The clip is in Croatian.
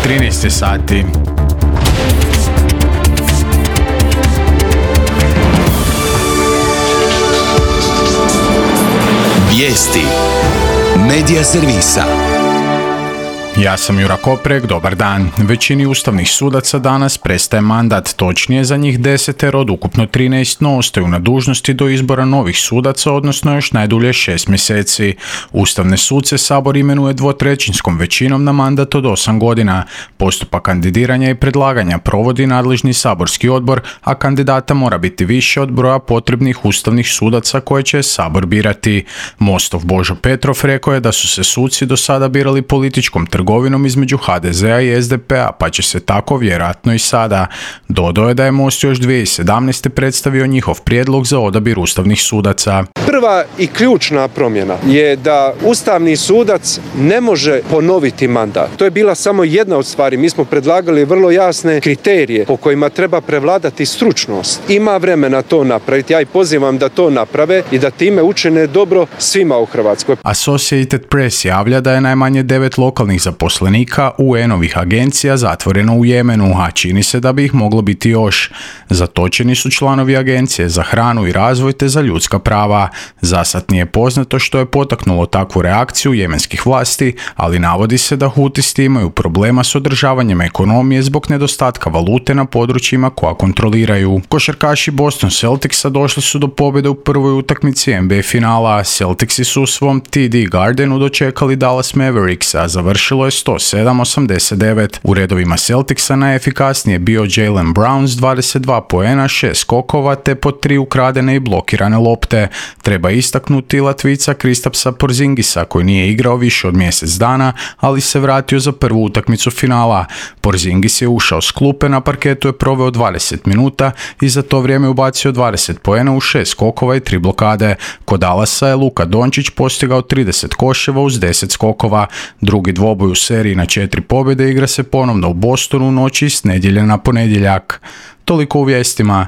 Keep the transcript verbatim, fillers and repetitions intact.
trinaest je sati. Vijesti Medija servisa. Ja sam Jura Koprek, dobar dan. Većini ustavnih sudaca danas prestaje mandat, točnije za njih desetero od ukupno trinaest, no ostaju na dužnosti do izbora novih sudaca, odnosno još najdulje šest mjeseci. Ustavne suce Sabor imenuje dvotrećinskom većinom na mandat od osam godina. Postupak kandidiranja i predlaganja provodi nadležni saborski odbor, a kandidata mora biti više od broja potrebnih ustavnih sudaca koje će Sabor birati. Mostov Božo Petrov rekao je da su se suci do sada birali političkom trgovinom trgovinom između ha de zea i es de pe-a, pa će se tako vjerojatno i sada. Dodao je da je Most još dvije tisuće sedamnaeste. predstavio njihov prijedlog za odabir ustavnih sudaca. Prva i ključna promjena je da ustavni sudac ne može ponoviti mandat. To je bila samo jedna od stvari. Mi smo predlagali vrlo jasne kriterije po kojima treba prevladati stručnost. Ima vremena to napraviti. Ja i pozivam da to naprave i da time učine dobro svima u Hrvatskoj. Associated Press javlja da je najmanje devet lokalnih zaposlenika u en-ovih agencija zatvoreno u Jemenu, a čini se da bi ih moglo biti još. Zatočeni su članovi agencije za hranu i razvoj te za ljudska prava. Zasad nije poznato što je potaknulo takvu reakciju jemenskih vlasti, ali navodi se da hutisti imaju problema s održavanjem ekonomije zbog nedostatka valute na područjima koja kontroliraju. Košarkaši Boston Celticsa došli su do pobjede u prvoj utakmici en be a finala. Celticsi su u svom te de Gardenu dočekali Dallas Mavericks, a završilo je sto sedam osamdeset devet. U redovima Celticsa najefikasnije bio Jaylen Brown s dvadeset dva poena, šest skokova te po tri ukradene i blokirane lopte. Treba istaknuti Latvica Kristapsa Porzingisa koji nije igrao više od mjesec dana, ali se vratio za prvu utakmicu finala. Porzingis je ušao s klupe, na parketu je proveo dvadeset minuta i za to vrijeme ubacio dvadeset poena u šest skokova i tri blokade. Kod Dallasa je Luka Dončić postigao trideset koševa uz deset skokova. Drugi dvoboj u seriji na četiri pobjede igra se ponovno u Bostonu u noći s nedjelje na ponedjeljak. Toliko u vijestima.